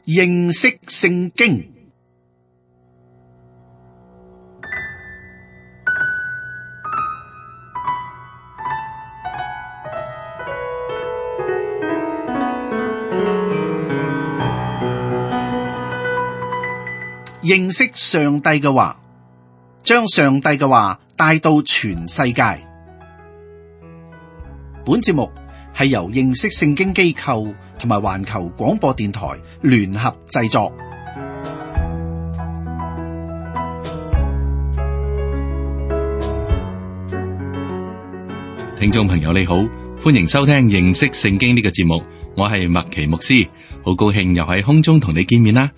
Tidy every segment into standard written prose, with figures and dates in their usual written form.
認識聖經。認識上帝嘅話，將上帝嘅話帶到全世界。本節目係由認識聖經機構同埋環球廣播電台聯合製作。聽眾朋友你好，歡迎收聽認識聖經呢個節目，我係麥奇牧師，好高興又喺空中同你見面啦。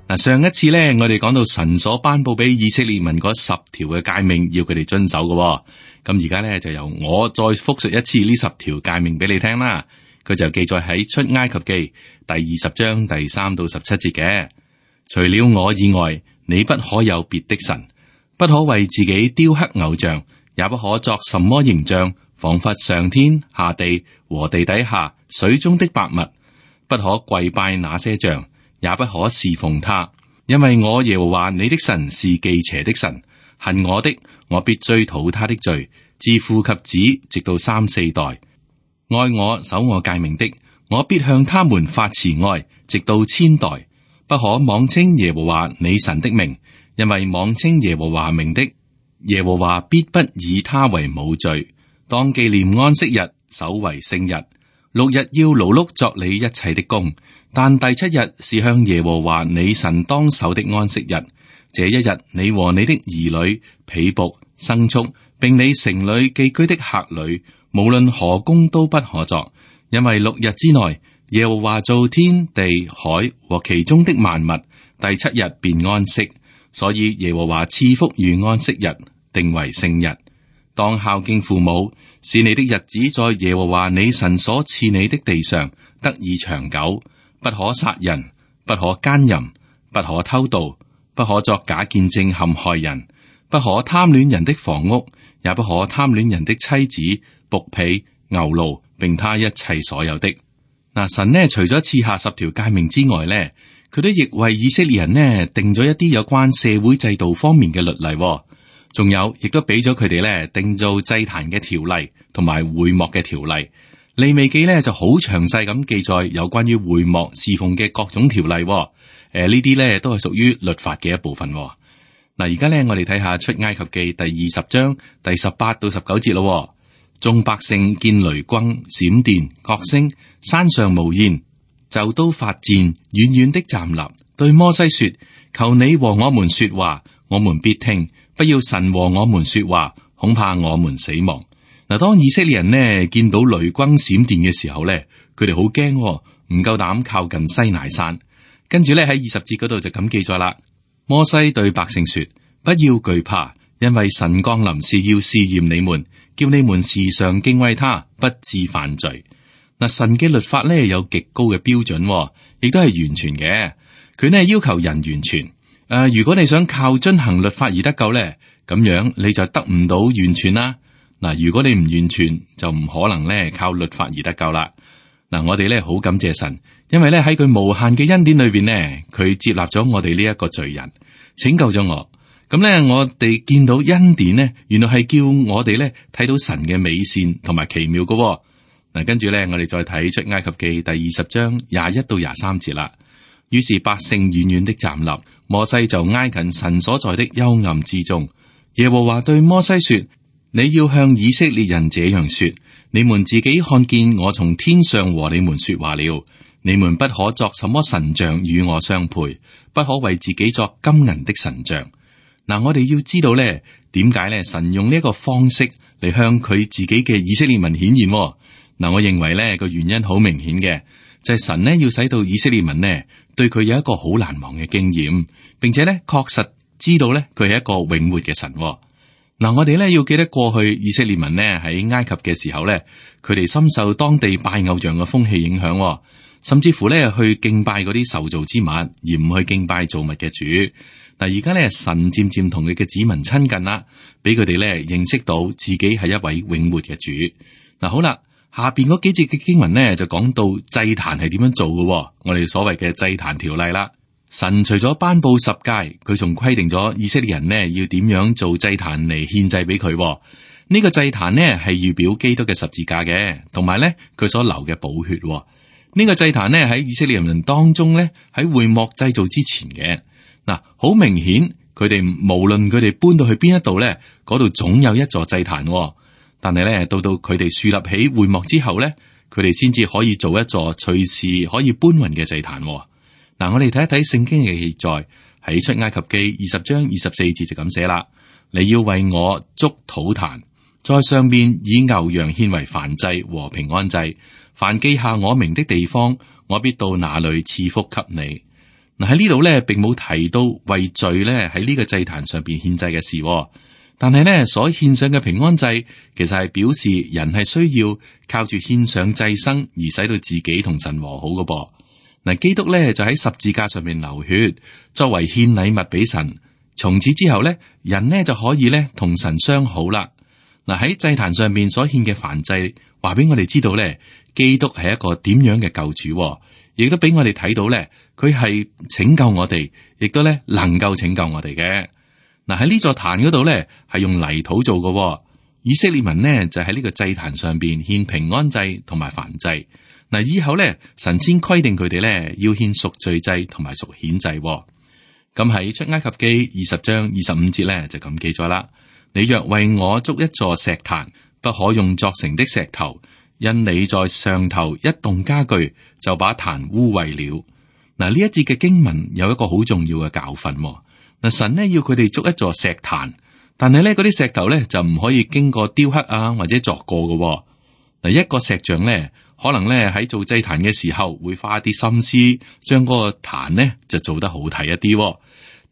嗱，上一次咧，我哋講到神所頒布俾以色列民嗰10條嘅誡命，要佢哋遵守嘅。咁而家咧就由我再複述一次呢10條誡命俾你聽啦。佢就記載喺出埃及記第20章第3到17節嘅。除了我以外，你不可有別的神，不可為自己雕刻偶像，也不可作什麼形象，仿佛上天下地和地底下水中的百物，不可跪拜那些像，也不可侍奉他，因為我耶和華你的神是忌邪的神，恨我的，我必追討他的罪，自父及子，直到3、4代。愛我守我誡命的，我必向他們發慈愛，直到千代。不可妄稱耶和華你神的名，因為妄稱耶和華名的，耶和華必不以他為無罪。當紀念安息日，守為聖日。6日要勞碌作你一切的工，但第7日是向耶和華你神當守的安息日。這一日，你和你的兒女、婢僕、牲畜，並你城裏寄居的客旅，無論何工都不可作，因為6日之內，耶和華造天地海和其中的萬物，第7日便安息。所以耶和華賜福與安息日，定為聖日。當孝敬父母，使你的日子在耶和華你神所賜你的地上得以長久。不可殺人，不可奸淫，不可偷盜，不可作假見證陷害人，不可貪戀人的房屋，也不可貪戀人的妻子、僕婢、牛驢，並他一切所有的。嗱，神呢除咗賜下10條誡命之外呢，佢都亦為以色列人呢定咗一啲有關社會制度方面嘅律例，仲有亦都俾咗佢哋呢定做祭壇嘅條例同埋會幕嘅條例。利未記呢就好詳細咁記載有關於會幕侍奉嘅各種條例，呢啲呢都係屬於律法嘅一部分。嗱，而家呢我哋睇下出埃及記第20章第18到19節咯。眾百姓見雷轟、閃電、角聲，山上無煙，就都發顫，遠遠的站立，對摩西說：求你和我們說話，我們必聽；不要神和我們說話，恐怕我們死亡。嗱，當以色列人呢見到雷轟閃電嘅時候呢，佢哋好驚，唔夠膽靠近西乃山。跟住咧喺20節嗰度就咁記載啦。摩西對百姓說：不要懼怕，因為神降臨是要試驗你們，叫你們時常敬畏他，不致犯罪。嗱，神嘅律法呢有極高嘅標準，亦都係完全嘅。佢呢要求人完全。如果你想靠遵行律法而得救呢，咁樣你就得唔到完全啦。嗱，如果你唔完全，就唔可能咧靠律法而得救啦。嗱，我哋咧好感謝神，因為咧喺佢無限嘅恩典裏邊呢，佢接納咗我哋呢一個罪人，拯救咗我。咁咧，我哋見到恩典呢，原來係叫我哋咧睇到神嘅美善同埋奇妙嘅。嗱，跟住咧，我哋再睇出埃及記第20章21到23節啦。於是百姓遠遠的站立，摩西就挨近神所在的幽暗之中。耶和華對摩西說：你要向以色列人這樣說：你們自己看見我從天上和你們說話了。你們不可作什麼神像與我相配，不可為自己作金銀的神像。嗱，我哋要知道咧，點解咧神用呢一個方式嚟向佢自己嘅以色列民顯現？嗱，我認為咧個原因好明顯嘅，就係神呢要使到以色列民呢對佢有一個好難忘嘅經驗，並且咧確實知道咧佢係一個永活嘅神。嗱，我哋咧要記得過去以色列民呢喺埃及嘅時候咧，佢哋深受當地拜偶像嘅風氣影響，甚至乎咧去敬拜嗰啲受造之物，而唔去敬拜造物嘅主。嗱，而家咧神漸漸同佢嘅子民親近啦，俾佢哋咧認識到自己係一位永活嘅主。嗱，好啦，下邊嗰幾節嘅經文呢，就講到祭壇係點樣做嘅，我哋所謂嘅祭壇條例啦。神除咗頒布十誡，佢仲規定咗以色列人呢要點樣做祭壇嚟獻祭俾佢。呢個祭壇呢係預表基督嘅十字架嘅，同埋呢佢所流嘅寶血。呢個祭壇呢喺以色列人民當中呢，喺會幕製造之前嘅。嗱，好明顯佢哋無論佢哋搬到去邊一度呢，嗰度總有一座祭壇。但係咧，到佢哋樹立起會幕之後咧，佢哋先至可以做一座隨時可以搬運嘅祭壇。嗱，我哋睇一睇聖經嘅記載，喺出埃及記20章24節就咁寫啦：你要為我築土壇，在上面以牛羊獻為燔祭和平安祭，凡記下我名的地方，我必到那裏賜福給你。嗱，喺呢度咧，並冇提到為罪咧喺呢個祭壇上邊獻祭嘅事。但係咧，所獻上嘅平安祭，其實係表示人係需要靠住獻上祭牲而使到自己同神和好嘅噃。嗱，基督咧就喺十字架上面流血，作為獻禮物俾神。從此之後咧，人呢就可以咧同神相好啦。嗱，喺祭壇上面所獻嘅燔祭，話俾我哋知道咧，基督係一個點樣嘅救主，亦都俾我哋睇到咧，佢係拯救我哋，亦都咧能夠拯救我哋嘅。嗱，喺呢座壇嗰度咧，係用泥土做嘅。以色列民呢就喺呢個祭壇上邊獻平安祭同埋燔祭。嗱，以後咧，神先規定佢哋咧要獻贖罪祭同埋贖愆祭。咁喺出埃及記20章25節咧就咁記載啦：你若為我築一座石壇，不可用作成的石頭，因你在上頭一動家具，就把壇污穢了。嗱，呢一節嘅經文有一個好重要嘅教訓。嗱，神呢要佢哋築一座石壇，但係咧嗰啲石頭咧就唔可以經過雕刻啊或者鑿過嘅。嗱，一個石匠咧可能咧喺做祭壇嘅時候會花啲心思，將嗰個壇咧就做得好睇一啲。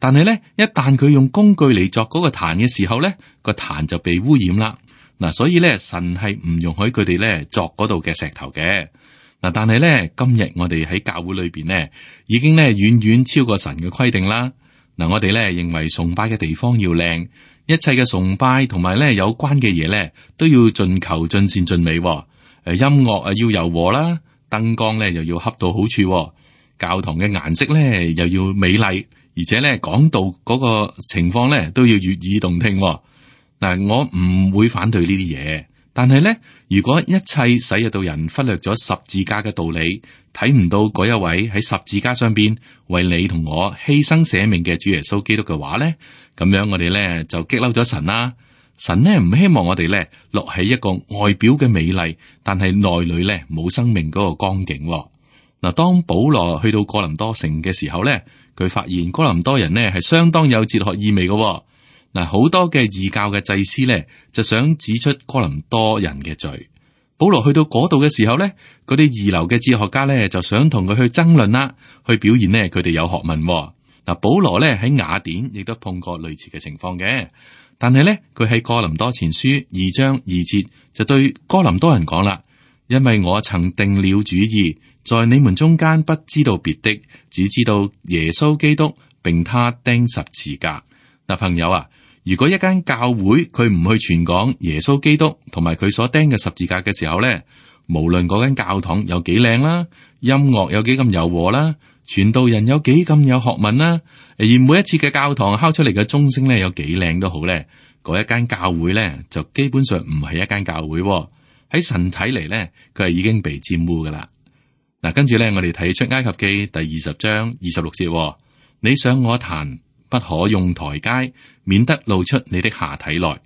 但係咧一旦佢用工具嚟作嗰個壇嘅時候咧，個壇就被污染啦。嗱，所以咧神係唔容許佢哋咧作嗰度嘅石頭嘅。嗱，但係咧今日我哋喺教會裏邊咧已經咧遠遠超過神嘅規定啦。嗱，我哋咧認為崇拜嘅地方要靚，一切嘅崇拜同埋咧有關嘅嘢咧都要盡求盡善盡美。音樂啊要柔和啦，燈光咧又要恰到好處，教堂嘅顏色咧又要美麗，而且咧講道嗰個情況咧都要悅耳動聽。嗱，我唔會反對呢啲嘢，但係咧，如果一切使得到人忽略咗十字架嘅道理，睇唔到嗰一位喺十字架上邊為你同我犧牲捨命嘅主耶穌基督嘅話咧，咁樣我哋咧就激嬲咗神啦。神呢唔希望我哋咧落喺一個外表嘅美麗，但係內裏咧冇生命嗰個光景。嗱，當保羅去到哥林多城嘅時候咧，佢發現哥林多人呢係相當有哲學意味嘅。嗱，好多嘅異教嘅祭司咧就想指出哥林多人嘅罪。保羅去到嗰度嘅時候咧，嗰啲二流嘅哲學家咧就想同佢去爭論啦，去表現呢佢哋有學問。嗱，保羅咧喺雅典亦都碰過類似嘅情況嘅，但係咧佢喺哥林多前書2章2節就對哥林多人講啦：因為我曾定了主意，在你們中間不知道別的，只知道耶穌基督並他釘十字架。嗱，朋友啊，如果一間教會佢唔去傳講耶穌基督同埋佢所釘嘅十字架嘅時候咧，無論嗰間教堂有幾靚啦，音樂有幾咁柔和啦，傳道人有幾咁有學問啦，而每一次嘅教堂敲出嚟嘅鐘聲咧有幾靚都好咧，嗰一間教會咧就基本上唔係一間教會。喺神睇嚟咧，佢係已經被玷污噶啦。嗱，跟住咧我哋睇出埃及記第20章26節，你上我壇，不可用台階，免得露出你的下體來。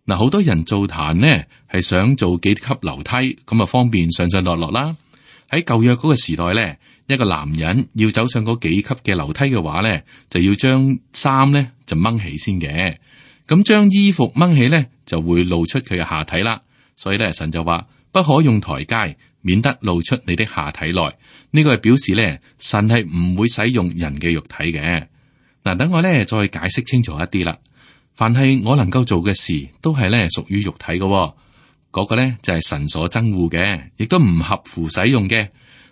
嗱，好多人做壇呢係想做幾級樓梯，咁啊方便上上落落啦。喺舊約嗰個時代咧，一個男人要走上嗰幾級嘅樓梯嘅話咧，就要將衫咧就掹起先嘅。咁將衣服掹起咧，就會露出佢嘅下體啦。所以咧，神就話不可用台階，免得露出你的下體來。呢個係表示咧，神係唔會使用人嘅肉體嘅。嗱，等我咧再解釋清楚一啲啦。凡係我能夠做嘅事，都係咧屬於肉體嘅，嗰個咧就係神所憎惡嘅，亦都唔合乎使用嘅。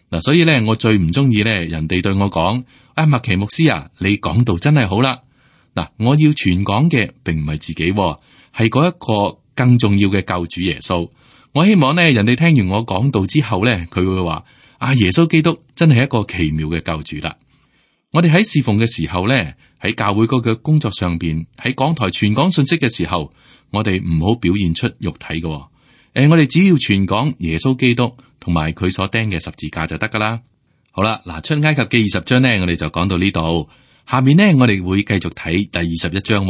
嗱，所以咧我最唔中意咧人哋對我講：麥奇牧師啊，你講道真係好啦。嗱，我要傳講嘅並唔係自己，係嗰一個更重要嘅救主耶穌。我希望咧，人哋聽完我講道之後咧，佢會話：耶穌基督真係一個奇妙嘅救主啦！我哋喺侍奉嘅時候咧，喺教會嗰個工作上邊，喺講台傳講信息嘅時候，我哋唔好表現出肉體嘅。我哋只要傳講耶穌基督同埋佢所釘嘅十字架就得噶啦。好啦，嗱，出埃及記20章呢，我哋就講到呢度。下面呢，我哋會繼續睇第21章。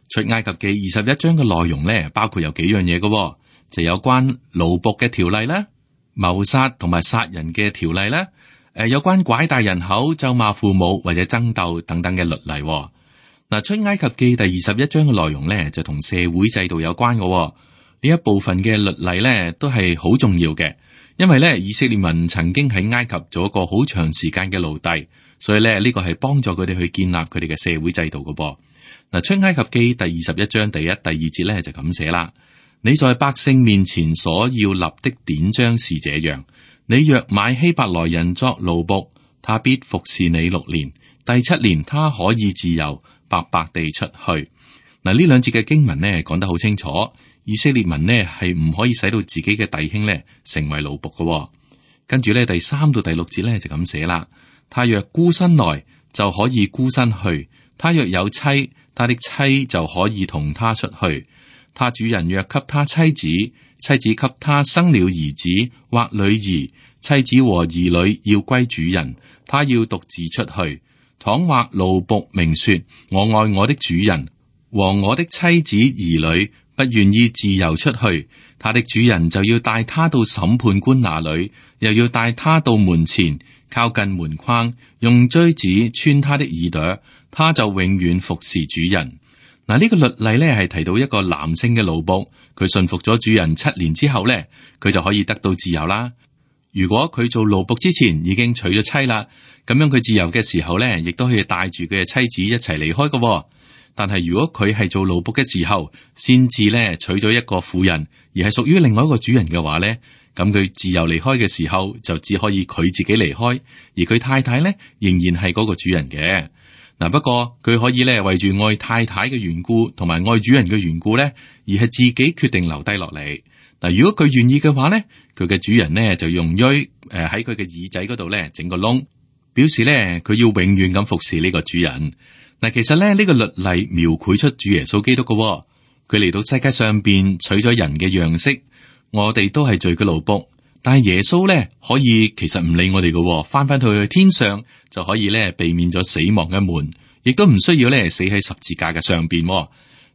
出埃及記21章嘅內容呢，包括有幾樣嘢嘅。就有關奴僕嘅條例啦，謀殺同埋殺人嘅條例啦，有關拐帶人口、咒罵父母或者爭鬥等等嘅律例。嗱，出埃及記第21章嘅內容咧，就同社會制度有關嘅。呢一部分嘅律例咧，都係好重要嘅，因為咧以色列民曾經喺埃及做一個好長時間嘅奴隸，所以咧呢個係幫助佢哋去建立佢哋嘅社會制度嘅。嗱，出埃及記第21章第1、第2節咧就咁寫啦。你在百姓面前所要立的典章是這樣：你若買希伯來人作奴僕，他必服侍你6年，第7年他可以自由白白地出去。嗱，呢兩節嘅經文呢講得好清楚，以色列民呢係唔可以使到自己嘅弟兄呢成為奴僕嘅。跟住呢第3到第6節呢就咁寫啦：他若孤身來，就可以孤身去；他若有妻，他的妻就可以同他出去。他主人若給他妻子，妻子給他生了兒子或女兒，妻子和兒女要歸主人，他要獨自出去。倘或奴僕明說：我愛我的主人和我的妻子兒女，不願意自由出去，他的主人就要帶他到審判官那裏，又要帶他到門前，靠近門框，用錐子穿他的耳朵，他就永遠服侍主人。嗱，呢個律例咧係提到一個男性嘅奴僕，佢順服咗主人7年之後咧，佢就可以得到自由啦。如果佢做奴僕之前已經娶咗妻啦，咁樣佢自由嘅時候咧，亦都可以帶住佢嘅妻子一齊離開嘅。但係如果佢係做奴僕嘅時候，先至咧娶咗一個婦人，而係屬於另外一個主人嘅話咧，咁佢自由離開嘅時候，就只可以佢自己離開，而佢太太咧仍然係嗰個主人嘅。嗱，不過佢可以咧為住愛太太嘅緣故，同埋愛主人嘅緣故咧，而係自己決定留低落嚟。嗱，如果佢願意嘅話咧，佢嘅主人咧就用錐喺佢嘅耳仔嗰度咧整個窿，表示咧佢要永遠咁服侍呢個主人。嗱，其實咧呢個律例描繪出主耶穌基督嘅，佢嚟到世界上邊取咗人嘅樣式，我哋都係罪嘅奴僕。但係耶穌咧可以其實唔理我哋嘅，翻去天上就可以咧避免咗死亡嘅門，亦都唔需要咧死喺十字架嘅上邊。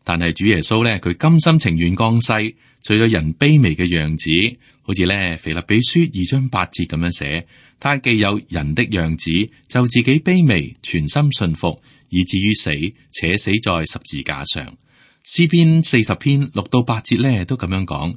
但係主耶穌咧佢甘心情願降世，取咗人卑微嘅樣子，好似咧腓立比書2章8節咁樣寫，他既有人的樣子，就自己卑微，全心順服，以至於死，且死在十字架上。詩篇40篇6到8節咧都咁樣講。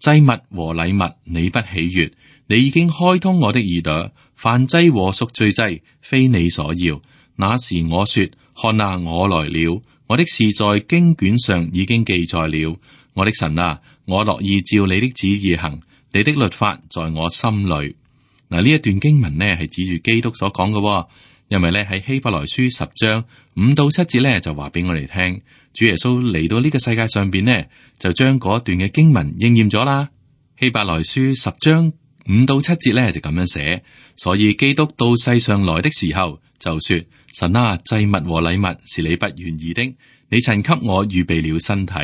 祭物和禮物你不喜悅，你已經開通我的耳朵，燔祭和贖罪祭非你所要。那時我說：看啊，我來了，我的事在經卷上已經記載了。我的神啊，我樂意照你的旨意行，你的律法在我心裏。嗱，呢一段經文呢係指住基督所講嘅，因為咧喺希伯來書10章5到7節咧就話俾我哋聽。主耶穌嚟到呢個世界上邊呢，就將嗰段嘅經文應驗咗啦。希伯來書10章5到7節咧就咁樣寫，所以基督到世上來的時候就說：神啊，祭物和禮物是你不願意的，你曾給我預備了身體；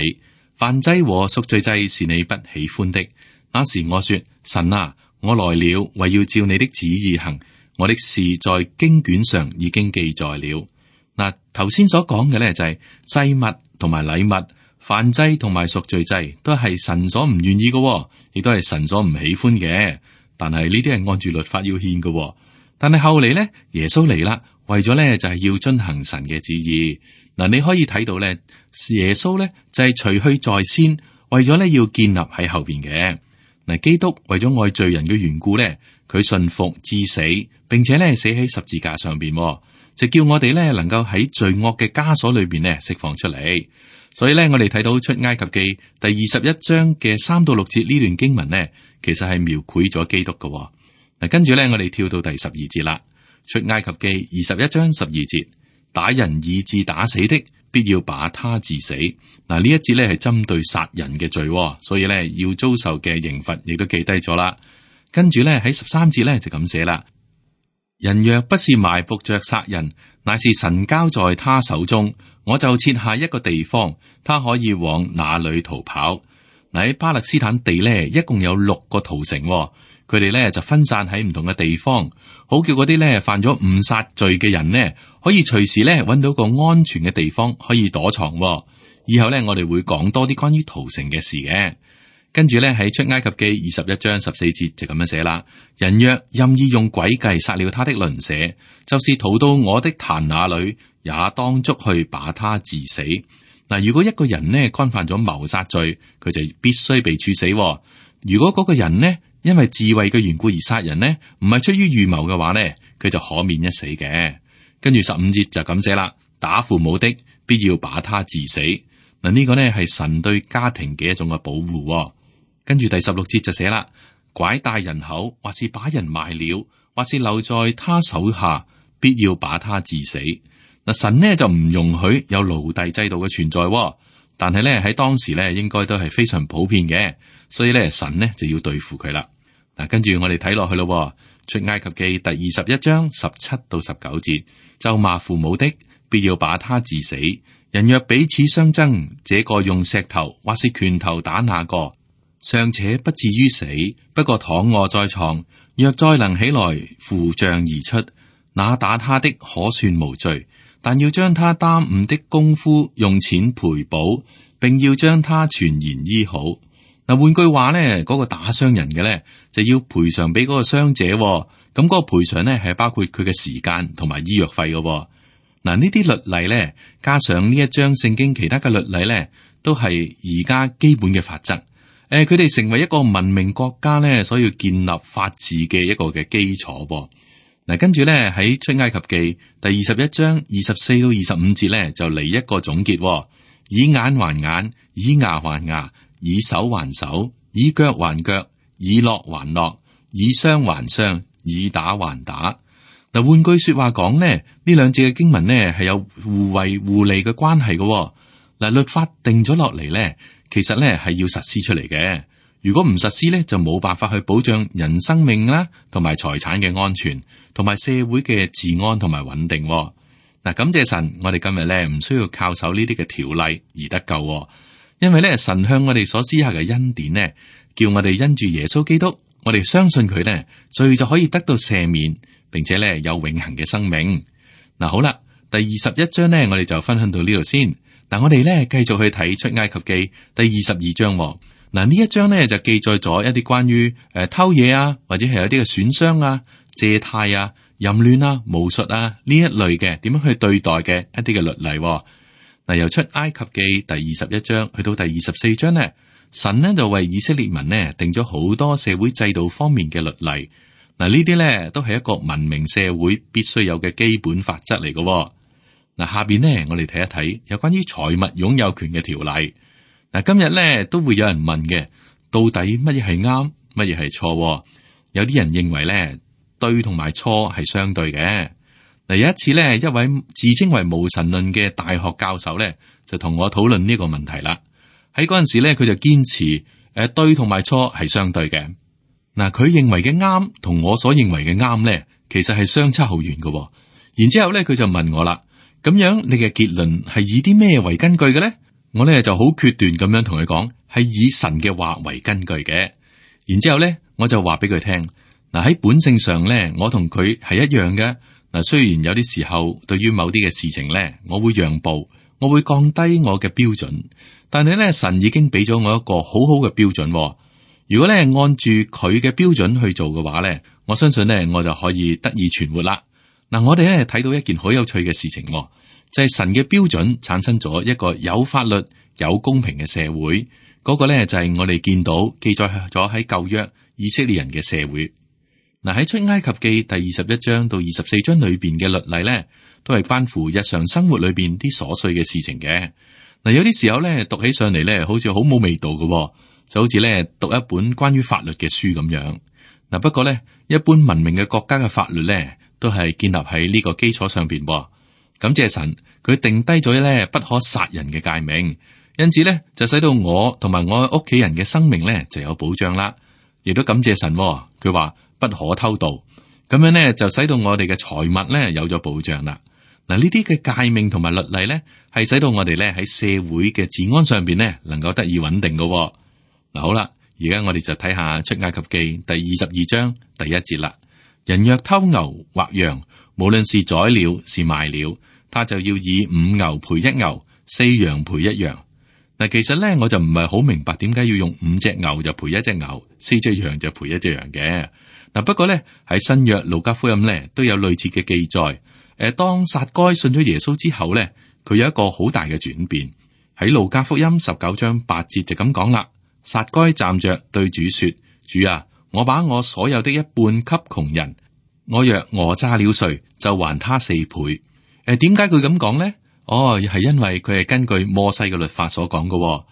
燔祭和贖罪祭是你不喜歡的。那時我說：神啊，我來了，為要照你的旨意行，我的事在經卷上已經記載了。嗱，頭先所講嘅咧就係祭物同埋禮物、燔祭同埋贖罪祭，都係神所唔願意嘅，亦都係神所唔喜歡嘅。但係呢啲係按住律法要獻嘅。但係後嚟咧，耶穌嚟啦，為咗咧就係要遵行神嘅旨意。嗱，你可以睇到咧，耶穌咧就係除去在先，為咗咧要建立喺後邊嘅。嗱，基督為咗愛罪人嘅緣故咧，佢順服至死，並且咧死喺十字架上邊。就叫我哋咧能夠喺罪惡嘅枷鎖裏邊咧釋放出嚟，所以咧我哋睇到出埃及記第21章嘅3到6節呢段經文呢，其實係描繪咗基督嘅。嗱，跟住咧我哋跳到第12節啦。出埃及記21章12節，打人以致打死的，必要把他治死。嗱，呢一節咧係針對殺人嘅罪，所以咧要遭受嘅刑罰亦都記低咗啦。跟住咧喺13節咧就咁寫啦：人若不是埋伏着殺人，乃是神交在他手中，我就設下一個地方，他可以往哪裏逃跑。嗱，喺巴勒斯坦地咧，一共有6個屠城，佢哋咧就分散喺唔同嘅地方，好叫嗰啲咧犯咗誤殺罪嘅人呢，可以隨時咧揾到個安全嘅地方可以躲藏。以後咧我哋會講多啲關於屠城嘅事嘅。跟住咧喺出埃及記21章14節就咁樣寫啦：人若任意用詭計殺了他的鄰舍，就是逃到我的壇那裏，也當捉去把他治死。嗱，如果一個人呢干犯咗謀殺罪，佢就必須被處死。如果嗰個人呢因為自衛嘅緣故而殺人呢，唔係出於預謀嘅話呢，佢就可免一死嘅。跟住15節就咁寫啦：打父母的必要把他治死。嗱，呢個呢係神對家庭嘅一種嘅保護。跟住第16節就寫啦：拐帶人口，或是把人賣了，或是留在他手下，必要把他治死。嗱，神呢就唔容許有奴隸制度嘅存在，但係咧喺當時咧應該都係非常普遍嘅，所以咧神呢就要對付佢啦。嗱，跟住我哋睇落去咯，出埃及記第21章17到19節：咒罵父母的，必要把他治死。人若彼此相爭，這個用石頭或是拳頭打那個，尚且不至於死，不過躺臥在床，若再能起來扶杖而出，那打他的可算無罪。但要將他耽誤的功夫用錢賠補，並要將他全然醫好。嗱，換句話咧，嗰個打傷人嘅咧就要賠償俾嗰個傷者。咁嗰個賠償咧係包括佢嘅時間同埋醫藥費嘅。嗱，呢啲律例咧，加上呢一章聖經其他嘅律例咧，都係而家基本嘅法則。佢哋成為一個文明國家咧，所要建立法治嘅一個嘅基礎。嗱，跟住咧喺出埃及記第21章24到25節咧，就嚟一個總結：以眼還眼，以牙還牙，以手還手，以腳還腳，以烙還烙，以傷還傷，以打還打。嗱，換句說話講咧，呢兩節嘅經文咧係有互惠互利嘅關係嘅。嗱，律法定咗落嚟咧，其實咧係要實施出嚟嘅。如果唔實施咧，就冇辦法去保障人生命啦，同埋財產嘅安全，同埋社會嘅治安同埋穩定。嗱，感謝神，我哋今日咧唔需要靠守呢啲嘅條例而得救，因為咧神向我哋所施下嘅恩典呢，叫我哋因住耶穌基督，我哋相信佢呢，罪就可以得到赦免，並且咧有永恆嘅生命。嗱，好啦，第21章呢，我哋就分享到呢度先。嗱，我哋咧繼續去睇出埃及記第22章。嗱，呢一章咧就記載咗一啲關於偷嘢啊，或者係有啲嘅損傷啊、借貸啊、淫亂啊、巫術啊呢一類嘅點樣去對待嘅一啲嘅律例。嗱，由出埃及記第21章去到第24章呢，神呢就為以色列民呢定咗好多社會制度方面嘅律例。嗱，呢啲咧都係一個文明社會必須有嘅基本法則嚟嘅。嗱，下邊呢我哋睇一睇有關於財物擁有權嘅條例。嗱，今日咧都會有人問嘅，到底乜嘢係啱，乜嘢係錯？有啲人認為咧，對同埋錯係相對嘅。嗱，有一次咧，一位自稱為無神論嘅大學教授咧，就同我討論呢個問題啦。喺嗰陣時咧，佢就堅持對同埋錯係相對嘅。嗱，佢認為嘅啱同我所認為嘅啱咧，其實係相差好遠嘅。然之後咧，佢就問我啦，咁樣你嘅結論係以啲咩為根據嘅咧？我咧就好決斷咁樣同佢講，係以神嘅話為根據嘅。然之後咧，我就話俾佢聽，嗱，喺本性上咧，我同佢係一樣嘅。嗱，雖然有啲時候對於某啲嘅事情咧，我會讓步，我會降低我嘅標準，但係咧，神已經俾咗我一個好好嘅標準。如果咧按住佢嘅標準去做嘅話咧，我相信咧我就可以得以存活啦。嗱，我哋咧睇到一件好有趣嘅事情。就係神嘅標準產生咗一個有法律、有公平嘅社會，嗰個咧就係我哋見到記載咗喺舊約以色列人嘅社會。嗱，喺出埃及記第21章到24章裏邊嘅律例咧，都係關乎日常生活裏邊啲瑣碎嘅事情嘅。嗱，有啲時候咧讀起上嚟咧，好似好冇味道嘅，就好似咧讀一本關於法律嘅書咁樣。嗱，不過咧，一般文明嘅國家嘅法律咧，都係建立喺呢個基礎上邊。感謝神，佢定低咗咧不可殺人嘅誡命，因此咧就使到我同埋我屋企人嘅生命咧就有保障啦。亦都感謝神，佢話不可偷盜，咁樣咧就使到我哋嘅財物咧有咗保障啦。嗱，呢啲嘅誡命同埋律例咧，係使到我哋咧喺社會嘅治安上邊咧能夠得以穩定嘅。嗱，好啦，而家我哋就睇下出埃及記第22章第1節啦。人若偷牛或羊，無論是宰了是賣了，他就要以5牛賠1牛，4羊賠1羊。嗱，其實咧我就唔係好明白點解要用5隻牛就賠1隻牛，4隻羊就賠1隻羊嘅。嗱，不過咧喺新約路加福音咧都有類似嘅記載。當撒該信咗耶穌之後咧，佢有一個好大嘅轉變。喺路加福音19章8節就咁講啦。撒該站着對主說：主啊，我把我所有的一半給窮人，我若訛詐了誰，就還他4倍。點解佢咁講呢？係因為佢係根據摩西嘅律法所講嘅。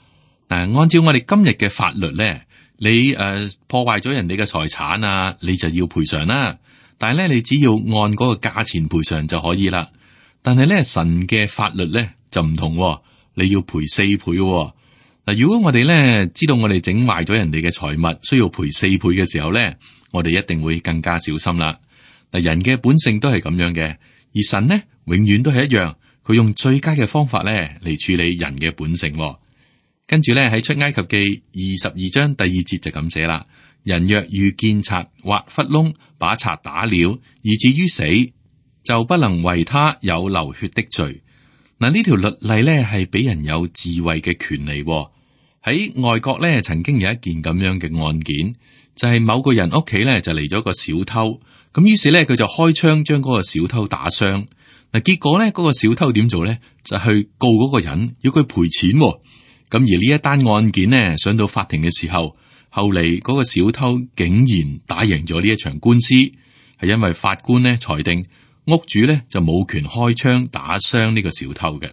嗱，按照我哋今日嘅法律咧，你破壞咗人哋嘅財產啊，你就要賠償啦。但係咧，你只要按嗰個價錢賠償就可以啦。但係咧，神嘅法律咧就唔同，你要賠4倍。嗱，如果我哋咧知道我哋整壞咗人哋嘅財物，需要賠4倍嘅時候咧，我哋一定會更加小心啦。嗱，人嘅本性都係咁樣嘅，而神呢永遠都係一樣，佢用最佳嘅方法咧嚟處理人嘅本性。跟住咧喺出埃及記22章第2節就咁寫啦。人若遇見賊或窟窿，把賊打了，以至於死，就不能為他有流血的罪。嗱，呢條律例咧係俾人有自衛嘅權利。喺外國咧，曾經有一件咁樣嘅案件，就係某個人屋企咧就嚟咗個小偷，咁於是咧佢就開槍將嗰個小偷打傷。嗱，結果咧嗰個小偷點做咧？就去告嗰個人，要佢賠錢。咁而呢一單案件呢，上到法庭嘅時候，後嚟嗰個小偷竟然打贏咗呢一場官司，係因為法官呢裁定屋主呢就冇權開槍打傷呢個小偷嘅。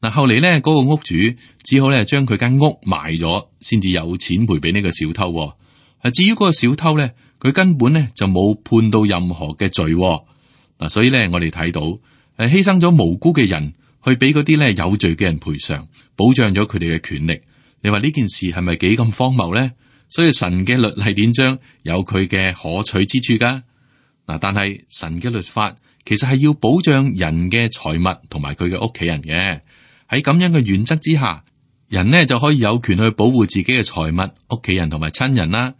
嗱，後嚟呢嗰個屋主只好咧將佢間屋賣咗，先至有錢賠俾呢個小偷。至於嗰個小偷呢，佢根本呢就冇判到任何嘅罪。嗱，所以呢，我哋睇到犧牲咗無辜嘅人去俾嗰啲咧有罪嘅人賠償，保障咗佢哋嘅權利。你話呢件事係咪幾咁荒謬呢？所以神嘅律例典章有佢嘅可取之處噶。嗱，但係神嘅律法其實係要保障人嘅財物同埋佢嘅屋企人嘅。喺咁樣嘅原則之下，人呢就可以有權去保護自己嘅財物、屋企人同埋親人啦。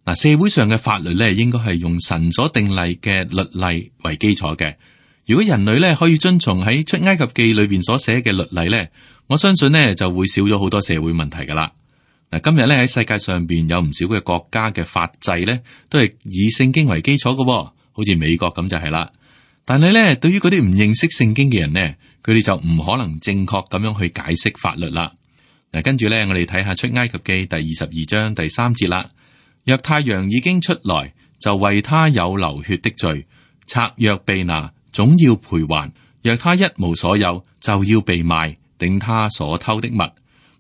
嗱，社會上嘅法律咧應該係用神所定例嘅律例為基礎嘅。如果人類咧可以遵從喺出埃及記裏邊所寫嘅律例咧，我相信呢就會少咗好多社會問題噶啦。嗱，今日咧喺世界上邊有唔少嘅國家嘅法制咧，都係以聖經為基礎嘅，好似美國咁就係啦。但係咧，對於嗰啲唔認識聖經嘅人呢，佢哋就唔可能正確咁樣去解釋法律啦。嗱，跟住咧，我哋睇下出埃及記第22章第3節啦。若太陽已經出來，就為他有流血的罪；賊若被拿，總要賠還；若他一無所有，就要被賣，頂他所偷的物。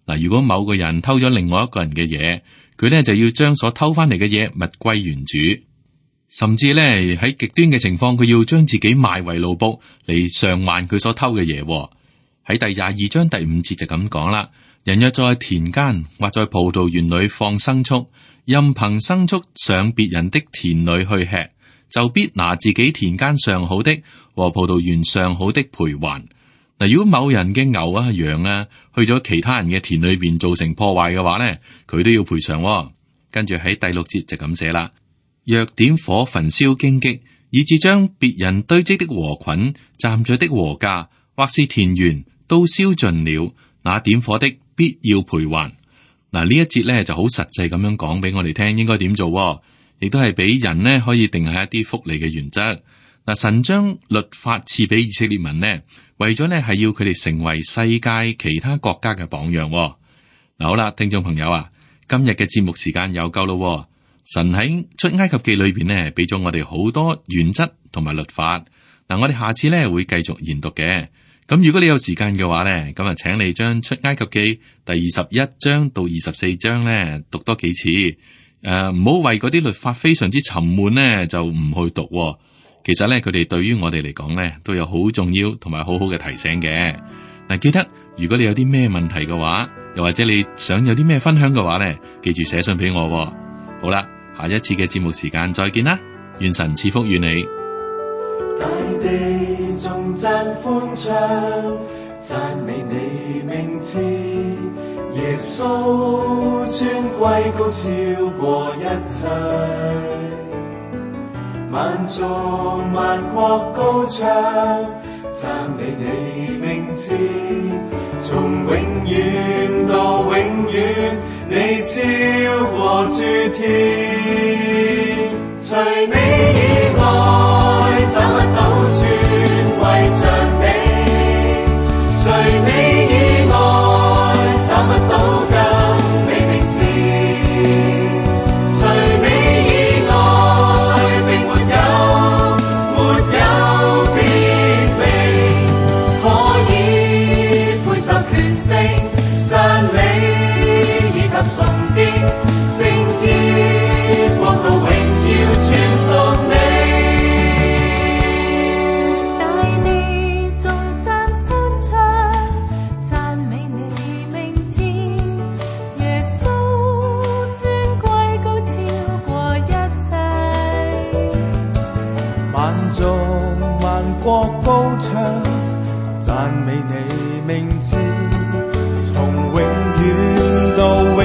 嗱，如果某個人偷咗另外一個人嘅嘢，佢咧就要將所偷翻嚟嘅嘢物歸原主，甚至咧喺極端嘅情況，佢要將自己賣為奴僕嚟償還佢所偷嘅嘢。喺第22章第5節就咁講啦：人若在田間或在葡萄園裏放牲畜，任憑牲畜上別人的田裏去吃，就必拿自己田間上好的和葡萄園上好的賠還。嗱，如果某人嘅牛啊、羊啊去咗其他人嘅田裏邊造成破壞嘅話咧，佢都要賠償。跟住喺第6節就咁寫啦：若點火焚燒荊棘，以致將別人堆積的禾捆、站着的禾稼，或是田園都燒盡了，那點火的必要賠還。嗱，呢一節咧就好實際咁樣講俾我哋聽，應該點做，亦都係俾人呢可以定下一啲福利嘅原則。嗱，神將律法賜俾以色列民呢，為咗呢係要佢哋成為世界其他國家嘅榜樣。嗱，好啦，聽眾朋友啊，今日嘅節目時間又夠咯。神喺出埃及記裏邊呢，俾咗我哋好多原則同埋律法。嗱，我哋下次呢會繼續研讀嘅。咁如果你有時間嘅話呢，咁啊，請你將出埃及記第21章到24章呢讀多幾次。唔好為嗰啲律法非常之沉悶呢就唔去讀。其實咧，佢哋對於我哋嚟講咧，都有好重要同埋好好嘅提醒嘅。嗱，記得如果你有啲咩問題嘅話，又或者你想有啲咩分享嘅話咧，記住寫信俾我。好啦，下一次嘅節目時間再見啦，願神賜福與你。大地頌讚歡唱，讚美你名字，耶穌尊貴高超過一切。萬族萬國高唱，讚美你名字，從永遠到永遠，你超過諸天。除你以外，找不到尊貴像你；除你以外，找不到更美名字；除你以外，並沒有別名可以配受權柄、讚美以及崇敬、聖潔、國度榮耀全屬你。大地頌讚歡唱，讚美你名字，耶穌尊貴高超過一切。萬族萬國高唱，讚美你名字，從永遠到永